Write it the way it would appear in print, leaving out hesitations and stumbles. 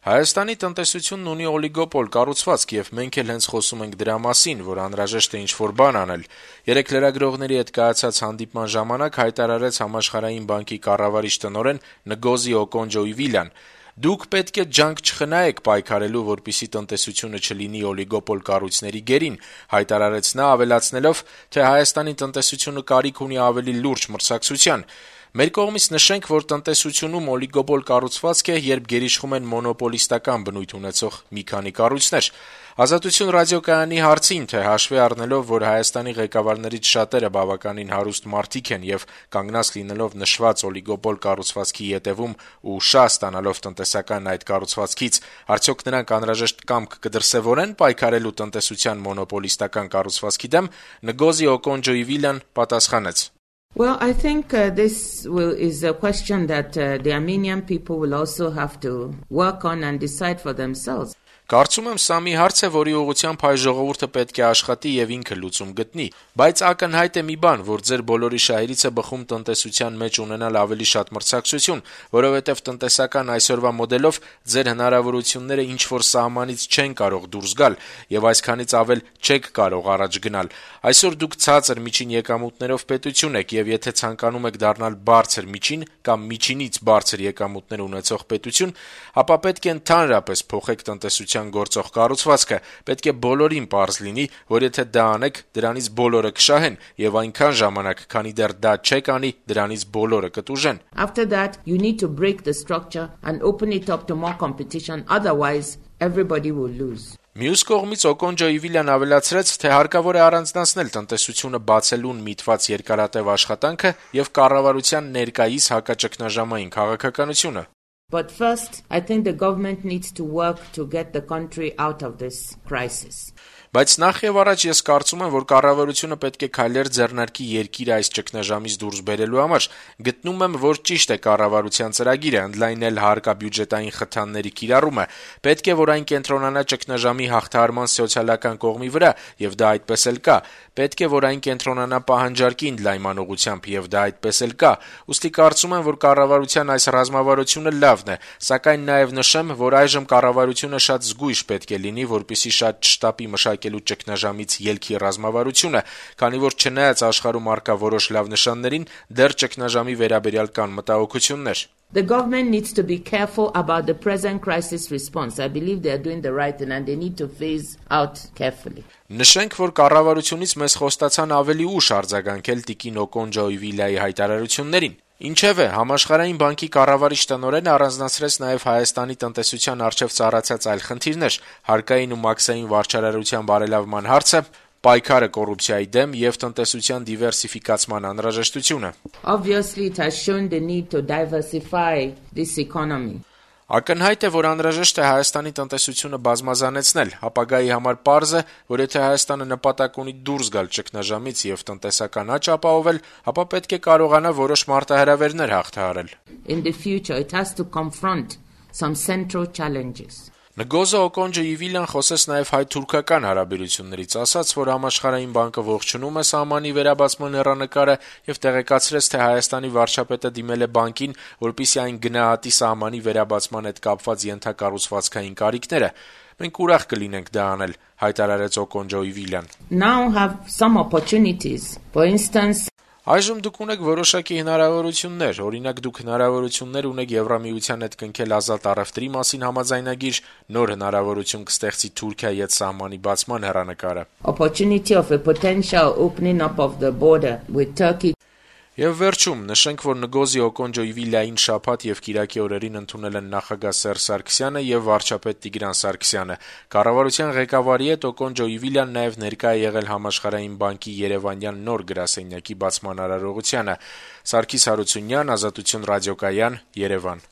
Հայաստանի տնտեսությունն ունի օլիգոպոլ կառուցվածք եւ մենք էլ հենց խոսում ենք դրա մասին, որ անհրաժեշտ է ինչ-որ բան անել։ Երեկ լրագրողների հետ կայացած հանդիպման ժամանակ հայտարարեց Համաշխարհային բանկի կառավարիչ տնօրեն Նգոզի Օկոնջոյվիլյան. «Դուք պետք է ջանք չխնայեք պայքարելու, որպեսզի տնտեսությունը չլինի օլիգոպոլ կառույցների գերին», հայտարարեց նա, ավելացնելով, թե Հայաստանի տնտեսությունը կարիք ունի ավելի լուրջ մրցակցության։ «Մեր կողմից նշենք, որ տնտեսությունում օլիգոպոլ կառուցվածք է, երբ գերիշխում են մոնոպոլիստական բնույթ ունեցող մի քանի կառույցներ»։ «Ազատություն» ռադիոկայանի հարցին, թե հաշվի առնելով, որ Հայաստանի ղեկավարներից շատերը բավականին հարուստ մարդիկ են եւ կանգնած լինելով նշված օլիգոպոլ կառուցվածքի ետեւում ու շահ ստանալով տնտեսական այդ կառուցվածքից, արդյոք նրանք անհրաժեշտ կամք կդրսեւորեն պայքարելու տնտեսության մոնոպոլիստական կառուցվածքի դեմ, Նգոզի Օկոնջոյվիլյան պատասխանեց. Well, I think this is a question that the Armenian people will also have to work on and decide for themselves. Կարծում եմ, սա մի հարց է, որի ուղղությամբ հայ ժողովուրդը պետք է աշխատի եւ ինքը լուծում գտնի, բայց ակնհայտ է մի բան, որ ձեր բոլորի շահերից է բխում տնտեսության մեջ ունենալ ավելի շատ մրցակցություն, որովհետեւ տնտեսական այսօրվա մոդելով ձեր հնարավորությունները ինչ-որ սահմանից չեն կարող դուրս գալ եւ այսքանից ավել չեք կարող առաջ գնալ։ Այսօր դուք ցածր միջին եկամուտներով պետություն եք եւ եթե ցանկանում եք դառնալ բարձր միջին կամ միջինից բարձր եկամուտներ ունեցող պետություն, ապա պետք է ընդհանրապես փոխեք տնտեսության գործող կառուցվածքը, պետք է բոլորին պարզ լինի, որ եթե դա անեք, դրանից բոլորը կշահեն եւ այնքան ժամանակ, քանի դեռ դա չեք անի, դրանից բոլորը կտուժեն։ After that, you need to break the structure and open it up to more competition, otherwise everybody will lose. Մյուս կողմից Օկոնջոյվիլյան ավելացրեց, թե հարկավոր է առանձնացնել տնտեսությունը բացելուն միտված երկարատև աշխատանքը եւ կառավարության ներկայիս հակաճգնաժամային քաղաքականությունը։ But first, I think the government needs to work to get the country out of this crisis. Բայց նախ եւ առաջ ես կարծում եմ, որ կառավարությունը պետք է քայլեր ձեռնարկի երկիրը այս ճգնաժամից դուրս բերելու համար։ Գտնում եմ, որ ճիշտ է կառավարության ծրագիրը ընդլայնել հարկաբյուջետային խթանների կիրառումը։ Պետք է, որ այն կենտրոնանա ճգնաժամի հաղթահարման սոցիալական կողմի վրա, եւ դա այդպես էլ կա։ Պետք է, որ այն կենտրոնանա պահանջարկի ընդլայնման ուղղությամբ, եւ դա այդպես էլ կա։ Ուստի կարծում եմ, որ կառավարության այս ռազմավարությունը լավն է, սակայն նաեւ նշեմ, որ այժմ կառավարությունը շատ զգույշ պետք է լինի, որպեսզի շատ չշտապի մշակելու ճգնաժամից ելքի ռազմավարությունը, քանի որ չնայած աշխարհում առկա որոշ լավ նշաններին, դեռ ճգնաժամի վերաբերյալ կան մտահոգություններ։ The government needs to be careful about the present crisis response. I believe they are doing the right thing and they need to phase out carefully. Նշենք, որ կառավարությունից մեզ խոստացան ավելի ուշ արձագանքել տիկին Օկոնջոյվիլյայի հայտարարություններին։ Ինչևէ, Համաշխարհային բանկի կառավարիչ տնօրենը առանձնացրեց նաև Հայաստանի տնտեսության առջև ծառացած այլ խնդիրներ՝ հարկային ու մաքսային վարչարարության բարելավման հարցը, պայքարը կոռուպցիայի դեմ եւ տնտեսության դիվերսիֆիկացման անհրաժեշտությունը։ Obviously, it has shown the need to diversify this economy. Ակնհայտ է, որ անհրաժեշտ է Հայաստանի տնտեսությունը բազմազանեցնել, ապագայի համար պարզ է, որ եթե Հայաստանը նպատակ ունի դուրս գալ ճգնաժամից եւ տնտեսական աճ ապահովել, ապա պետք է կարողանա որոշ մարտահրավերներ հաղթահարել։ In the future, it has to confront some central challenges. Նգոզը Օկոնջոյվիլյան խոսեց նաև հայ-թուրքական հարաբերություններից, ասաց, որ Համաշխարհային բանկը ողջունում է սահմանի վերաբացման հեռանկարը եւ տեղեկացրեց, թե Հայաստանի վարչապետը դիմել է բանկին, որպեսզի այն գնահատի սահմանի վերաբացման հետ կապված ենթակառուցվածքային կարիքները։ Մենք ուրախ կլինենք դա անել, հայտարարեց Օկոնջոյվիլյան։ Now have some opportunities. For instance, Այժմ դուք ունեք որոշակի հնարավորություններ, օրինակ դուք հնարավորություններ ունեք Եվրամիության հետ կնքել ազատ առևտրի մասին համաձայնագիր, նոր հնարավորություն կստեղծի Թուրքիայի հետ սահմանի բացման հեռանկարը։ Opportunity of a potential opening up of the border with Turkey. Եվ վերջում նշենք, որ Նգոզի Օկոնջոյվիլյային շաբաթ եւ կիրակի օրերին ընդունել են նախագահ Սերժ Սարգսյանը եւ վարչապետ Տիգրան Սարգսյանը։ Կառավարության ղեկավարի հետ Օկոնջոյվիլյան նաեւ ներկա է եղել Համաշխարհային բանկի Երևանյան նոր գրասենյակի բացման արարողությանը։ Սարգիս Հարությունյան, Ազատություն ռադիոկայան, Երևան։